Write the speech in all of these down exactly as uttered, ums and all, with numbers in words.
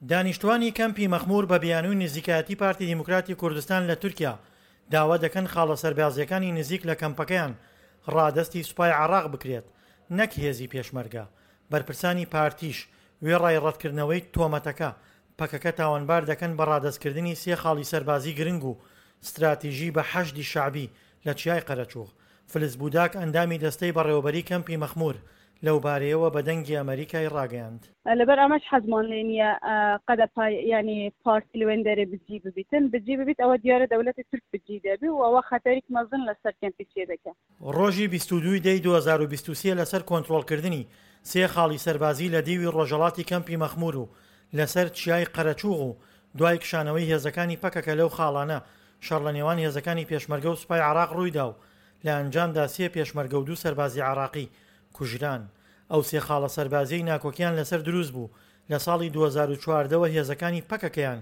دانیشتوانی کەمپی مەخمور بە بیانووی نزیکایەتی پارتی دیموکراتی کوردستان لە تورکیا داوا دەکەن خاڵە سەربازییەکانی نزیک لە کەمپەکەیان ڕادەستی سوپای عێراق بکرێت نەک هێزی پێشمەرگە. بەرپرسانی پارتیش وێڕای ڕەتکردنەوەی تۆمەتەکە، پەکەکە تاوانبار دەکەن بە ڕادەستکردنی سێ خاڵی سەربازی گرنگ و ستراتیژی بە حەشدی شەعبی لە چیای قەرەچوغ. فلز بوداک ئەندامی دەستەی بەڕێوەبەری کەمپی مەخمور لەوبارەیەوە بە دەنگی ئەمەریکای ڕاگەیاند. لەبەر ئەمەش حەزمان لێ نییە قەدەپا یانی پارتی لەوێن دەرێ بجی ببیتن، بجی ببیت ئەوە دیارە دەولەتی تورک بجی دەبی و ئەوە خەتەریک مەزن لەسەر کەمپی چێ دەکا. ڕۆژی بیست و دوو ی دەی دوو هەزار و بیست و سێ لەسەر کۆنترۆڵکردنی سێ خاڵی سەربازی لە دیوی ڕۆژهەڵاتی کەمپی مەخمور و لەسەر چیای قەرەچوغ و دوای کشانەوەی هێزەکانی پەکەکە لەو خاڵانە شەڕ لە نێوان هێزەکانی پێشمەرگە و سوپای عێراق ڕوویدا و لە ئەنجامدا سێ پێشمەرگە و دوو سەربازی عێراقی کوژران. ئەو سێ خاڵە سەربازیەی ناکۆکیان لەسەر دروست بوو لە ساڵی دوو هەزار و چواردە وە هێزەکانی پەکەکەیان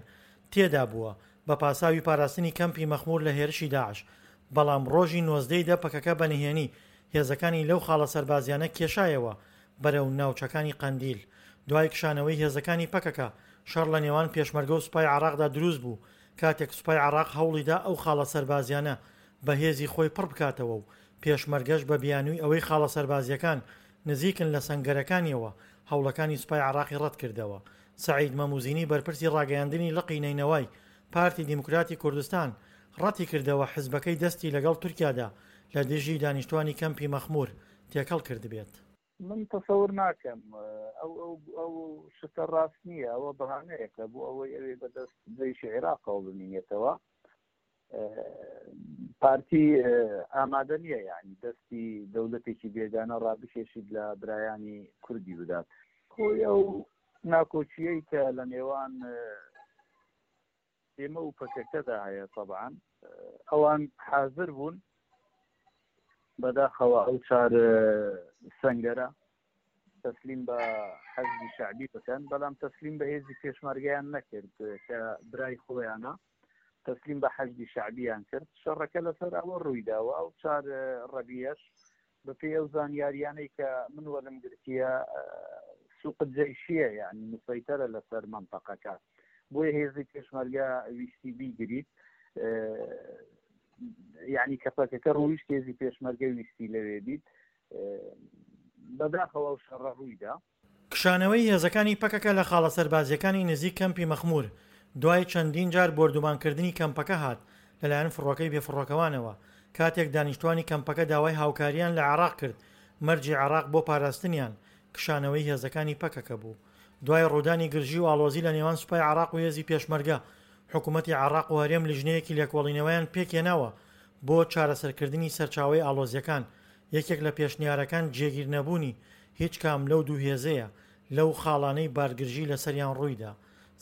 تێدا بووە بە پاساوی پاراستنی کەمپی مەخمور لە هێرشی داعش، بەڵام ڕۆژی نۆزدە ی دە پەکەکە بە نهێنی هێزەکانی لەو خاڵە سەربازیانە کێشایەوە بەرەو ناوچەکانی قەندیل. دوای کشانەوەی هێزەکانی پەکەکە شەڕ لە نێوان پێشمەرگە و سوپای عێراقدا دروست بوو کاتێک سوپای عێراق هەوڵیدا ئەو خاڵە سەربازیانە بە هێزی خۆی پڕ بکاتەوە و پێشمەرگەش بە بیانووی ئەوەی خاڵە سەربازییەکان نزیکن لە سەنگەرەکانیەوە هەوڵەکانی سوپای عێراقی ڕەتکردەوە. سەعید مەموزینی بەرپرسی ڕاگەیاندنی لقی نەینەوای پارتی دیموکراتی کوردستان ڕەتیکردەوە حزبەکەی دەستی لەگەڵ تورکیادا لە دژی دانیشتوانی کەمپی مەخمور تێکەڵ کردبێت. من تەسەور ناکەم ئەو ئەو ئەو شتە ڕاست نییە، ئەوە بەهانەیەکە بۆ ئەوەی ئەوێ بەدەست جەیشی عێراقەوە بمینێتەوە. پارتی ئامادە نییە یعنی دەستی دەولەتێکی بێگانە ڕابکێشیت لە برایانی کوردی بدات. خۆی ئەو ناکۆکیەی کە لە نێوان ئێمە و پەکەکەدا هەیە، طبعا ئەوان حاضر بوون بەداخەوە ئەو چار سەنگەرە تەسلیم بە حەزبی شەعبی بکەن، بەڵام تەسلیم بە هێزی پێشمەرگەیان نەکرد کە برای خۆیانە، تەسلیم بە حەشدی شەعبیان کرد. شەڕەکە لەسەر ئەوە ڕوویداوە. ئەو چار ڕەبیەش بەپێی ئەو زانیاریانەی کە من وەرم گرتیە سوق جەیشیە، یعنی مسەیتەرە لەسەر مەنتەقەکە، بۆیە هێزی پێشمەرگە ویستی بیگریت، یعنی کە پەکەکە ڕوویشت هێزی پێشمەرگە ویستی لەوێ بیت. بەداخەوە ئەو شەڕە ڕوویدا. کشانەوەی هێزەکانی پەکەکە لە خاڵە سەربازییەکانی نزیک کەمپی مەخمور دوای چەندین جار بۆردومانکردنی کەمپەکە هات لەلایەن فڕۆکەی بێفڕۆکەوانەوە، کاتێک دانیشتوانی کەمپەکە داوای هاوکارییان لە عێراق کرد، مەرجی عێراق بۆ پاراستنیان کشانەوەی هێزەکانی پەکەکە بوو. دوای ڕوودانی گرژی و ئاڵۆزی لە نێوان سوپای عێراق و هێزی پێشمەرگە، حکومەتی عێراق و هەرێم لیژنەیەکی لێکۆڵینەوەیان پێکهێناوە بۆ چارەسەرکردنی سەرچاوەی ئاڵۆزییەکان، یەکێک لە پێشنیارەکان جێگیرنەبوونی هیچ کام لەو دوو هێزەیە لەو خاڵانەی بارگرژی لەسەریان ڕوویدا.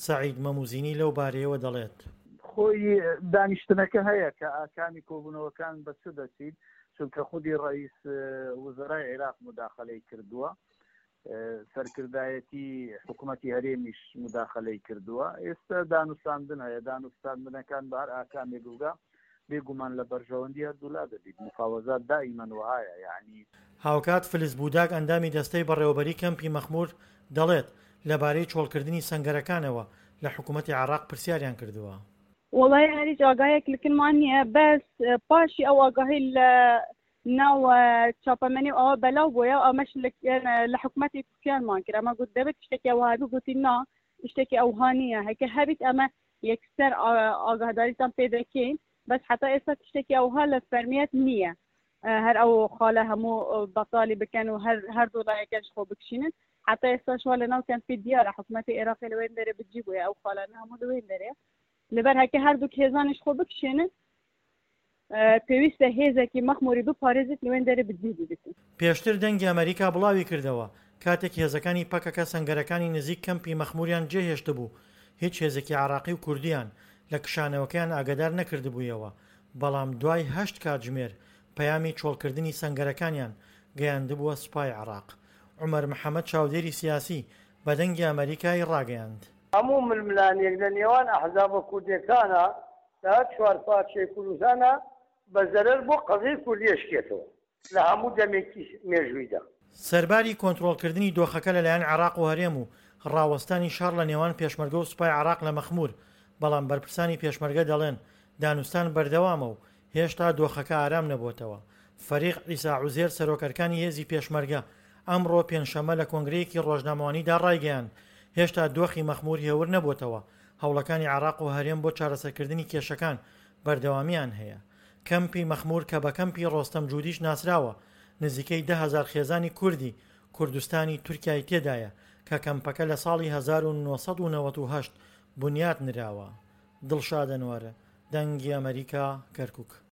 سەعید مەموزینی لەو بارەیەوە دەڵێت. خۆی دانیشتنەکە هەیە کە ئاکامی کۆبوونەوەکان بە چ دەچیت، چونکە خودی ڕئیس وزەرای عێراق مداخلەی کردووە، سەرکردایەتی حکوومەتی هەرێمیش مداخلەی کردووە. ئێستا دانوستاندن هەیە، دانوستاندنەکان بە هەر ئاکامێک بگا بێگومان لە بەرژەوەندی هەردوولا دەبیت. مفاوەزات دائیمەن وەهایە یعنی. هاوکات فلز بوداک ئەندامی دەستەی بەڕێوەبەری کەمپی مەخمور دەڵێت، لەبارەی چۆڵکردنی سەنگەرەکانەوە لە حکوومەتی عێراق پرسیاریان کردووە. وەڵای هەر هیچ ئاگاهیەک لەکنمان نییە، بەس پاشی ئەو ئاگاهی لە ناو چاپەمەنی و ئەوە بەلاو بۆیە، ئەمەش لە حکوومەتی پرسیارمان کرد، ئەمە گوت دەبێت شتێکی ئەوها هەبی، گوتی نا شتێکی ئەوها نییە، هەکە هەبیت ئەمە یەکسەر ئاگاهداریتان پێ دەکەین، بەس حتا ئێستا شتێکی ئەوها لە فەرمیەت نییە، هەر ئەو خاڵە هەموو بەتاڵی بکەن و هەر هەردوو لایەکەش خۆ بکشینن. حتا ئێستا شوا لە ناو کەمپی دیارە حکوومەتی عێراقی لەوێن دەرێ بجی بووە، ئەو خاڵانە هەموو لەوێن دەرێ، لەبەر هەکە هەردوو هێزانیش خۆ بکشێنن پێویستە هێزێکی مەخموری بپارێزێت لەوێن دەرێ بجی ببێت. پێشتر دەنگی ئەمریکا بڵاوی کردەوە کاتێک هێزەکانی پەکەکە سەنگەرەکانی نزیک کەمپی مەخموریان جێهێشتبوو، هیچ هێزێکی عێراقی و کوردیان لە کشانەوەکەیان ئاگادار نەکردبوویەوە، بەڵام دوای هەشت کاتژمێر پەیامی چۆڵکردنی سەنگەرەکانیان گەیاندبووە سوپای عێراق. عومەر محەمەد چاودێری سیاسی بە دەنگی ئەمەریکای ڕاگەیاند. هەموو ململانێک لە نێوان ئەحزابە کوردیەکانا لە هەر چوار پارچەی کوردستانا بە زەرەر بۆ قەزیەی کوردی ئەشکێتەوە لە هەموو دەمێکی مێژوویدا. سەرباری کۆنترۆڵکردنی دۆخەکە لەلایەن عێراق و هەرێم و ڕاوەستانی شەڕ لە نێوان پێشمەرگە و سوپای عێراق لە مەخموور، بەڵام بەرپرسانی پێشمەرگە دەڵێن دانوستان بەردەوامە و هێشتا دۆخەکە ئارام نەبووەتەوە. فەریق عیسا عوزێر سەرۆک ئەرکانی هێزی پێشمەرگە ئەمڕۆ پێنجشەممە لە کۆنگرەیەکی ڕۆژنامەوانیدا ڕایگەیاند، هێشتا دۆخی مەخموور هێور نەبووەتەوە، هەوڵەکانی عێراق و هەرێم بۆ چارەسەرکردنی کێشەکان بەردەوامییان هەیە. کەمپی مەخموور کە بە کەمپی ڕۆستەم جودیش ناسراوە، نزیکەی دە هەزار خێزانی کوردی کوردستانی تورکیای تێدایە کە کەمپەکە لە ساڵی هەزار و نۆ سەد و نەوەد و هەشت بنیات نراوە. دڵشاد ئەنوەر، دەنگی ئەمەریکا، کەرکوک.